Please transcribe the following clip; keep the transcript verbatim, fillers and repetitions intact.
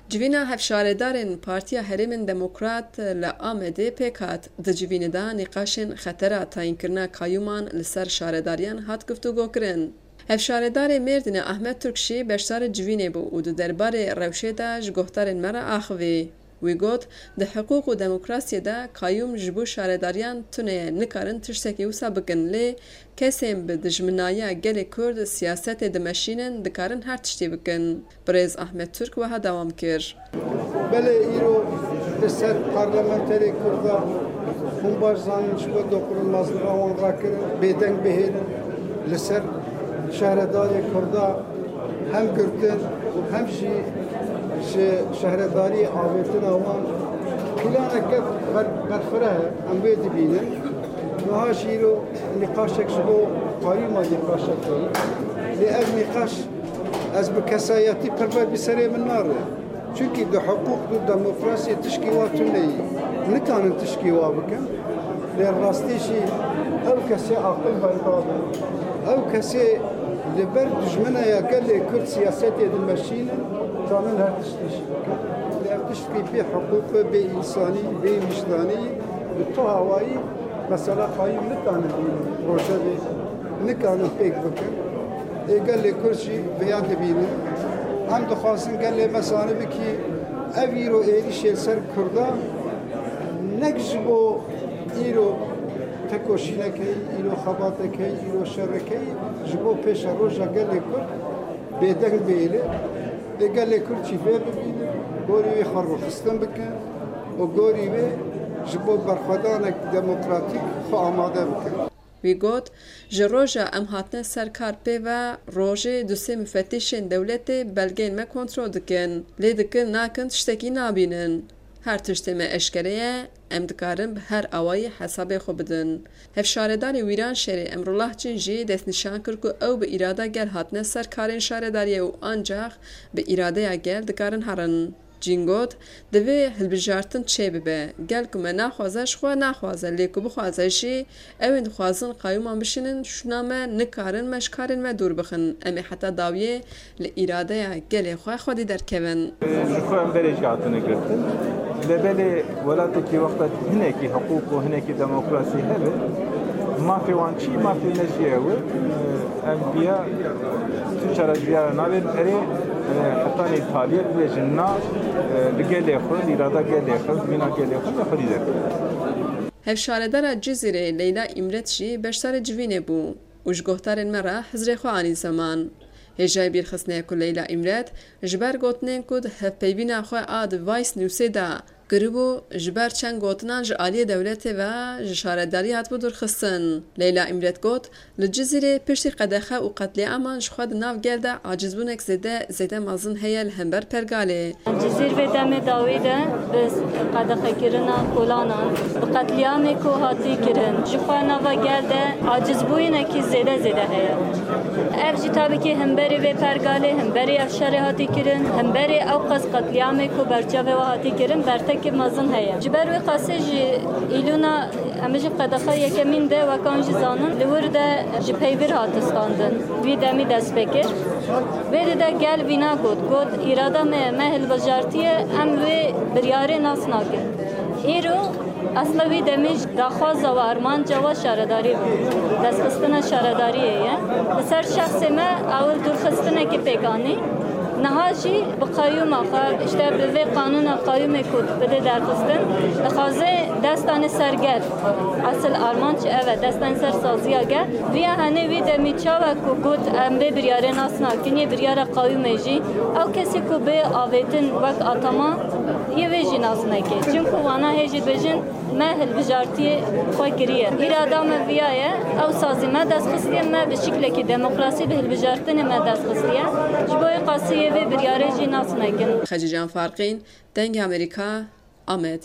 Civîna hevşaredarên Partiya Herêmên Demokrat li Amedê pêk hat. Di civînê de nîqaşên xetera tayînkirina kayûman li ser şaredariyan hat guftûgokirin. Hevşaredarê Mêrdînê Ahmet Turk jî beşdarê civînê bû û di derbarê rewşê de ji guhdarên me re axivî. Wî got, di hiqûq û demokrasiyê de kayûm ji bo şaredariyan tune ye, nikarin tiştekî wisa bikin, lê kesên bi dijminayiya gelê Kurd siyasetê dimeşînin, dikarin her tiştî bikin. Birêz Ahmet Turk wiha dewam kir. Belê îro li ser parlamenterê Kurda hûn baş zanin ji bo dokunulmazliga wan rakirin, bêdeng bihêlin, li ser şehredarê Kurda hem girtin û hem jî ji şehredariyê avêtina wan planeke ber-, berfireh e, em wê dibînin. Niha jî îro nîqaşek ji bo qayûma nîqaşek heye. Lê ev nîqaş ez bi kesayetî pirve bi serê min nare. Çunkî di hiqûq û demokrasiyê tişkî wa tune ye. Nikanin tişkî wa bikin. Lê rastî jî ew kesê aqil berda be. Ew kesê li ber dijmineya gelê Kurd siyasetê dimeşînin, kanin her tiştî jî bikin. Lê ev tiştkî bê hiqûq e, bê însanî, bê wijdanî, bi tu hawayî mesela qayûm nikanin rojevê, nikanin pêk bikin. Ê gelê Kurd jî vêya dibînin. Em dixwazin gelê me zanibin kî ev îro êrîşê li ser Kurda nek ji bo îro tekoşînekê, îro xebatekê, îro şerekê, ji bo pêşeroja gelê Kurd bêdeng bihêle. Ê gelê Kurd jî vê bibînin, gorî wê xwe rûxistin bikin û gorî wê ji bo berxwedanek demokratîk xwe amade bikin. Wî got, ji roja em hatine ser kar pê ve rojê du sê mufettîşên dewletê belgeyên me kontrol dikin. Lê dikin nakin tiştekî nabînin. Her tiştê me eşkere ye, em dikarin bi her awayî hesabê xwe bidin. Hevşaredarê Wîranşehirê Emrullah Cin jî destnîşan kir ku ew bi îrada gel hatine ser karên şaredariyê û ancax bi îradeya gel dikarin herin. Cîn got, divê hilbijartin çêbibe. Gel ku me naxwaze, ji xwe naxwaze, lê ku bixwaze jî, ew ên dixwazin qayûman bişînin, şûna me nikarin me ji karên me dûr bixin. Em ê heta dawiyê li îradeya gelê xwe xwedî derkevin. Ji xwe em berê jî hatine girtin. Lê belê welatekî wexta hinekî hiqûq û hinekî demokrasî hebe, mafê wan çi, mafê me jî ew e. Em viya tu çareşviyara nabên erê, e, hetanî taliyê bibêjin na, e, li gelê xwe, li îrada gelê xwe, li mîna gelê xwe, li xwedî derkevin. Hevşaredara Cizîrê Leyla Îmret jî beşdarê civînê bû û ji guhdarên me re hizrê xwe anî zeman. Hêjayî bîrxistinê ye ku Leyla Îmret ji ber gotinên ku di hevpeyvîna xwe a di Vice Newsê de kiribû, ji ber çend gotinan ji aliyê dewletê ve ji şaredarî hatibû dûrxistin. Leyla Îmret got, li Cizîrê piştî qedexe û qetlîaman ji xwe di nav gel de acizbûnek zêde, zêde mezin heye li hember pergalê. Cizîr vê demê dawî de bi qedexekirina kolanan, bi qetlîamê ku hatî kirin, ji xwe nava gel de acizbûyinekî zêde zêde heye. Ev jî tabî ki hemberî vê pergalê, hemberî ev şerê hatî kirin, hemberî ew qas qetlîamê ku berçavê we hatî kirin, bertekî mezin heye. Ji ber wê qasê jî îlûna Em jî qedexa yekemîn de, wek an jî zanin, li wir de ji peybir hate standin. Wî demî dest pê kir. Vê di de gel vîna got, got, îrada me ye, me hilbijartiye, em wê biryarê nas nakin. Îro, esla wî demî jî daxwaza we, armanca we şaredarî bû. Destxistina şaredariyê ye. Li ser şexsê me, ew dûrxistinekê pêk anî. Niha jî bi qeyûma xwe, işte bi vê qanûna qeyûmê ku bide derxistin, dixwaze destanê ser gel. Esil armanc ev e, destanê ser saziya gel. Viya henê wî demî çawa ku got em vê biryarê nas nakin, yê biryara qeyûmê jî, ew kesê ku bê avêtin wek atama, yê vê jî nas neke. Çimku wana hê jî dibêjin, Me hilbijartiyê xwe kiriye. Îrada me viya ye, ew sazî me dest xistiye, me bi şiklekî demokrasî bi hilbijartinê me dest xistiye. Ji bo wê qasî yê vê biryarê jî nas nekin. Xecîcan Farqîn, Dengê Amerîka, Amed.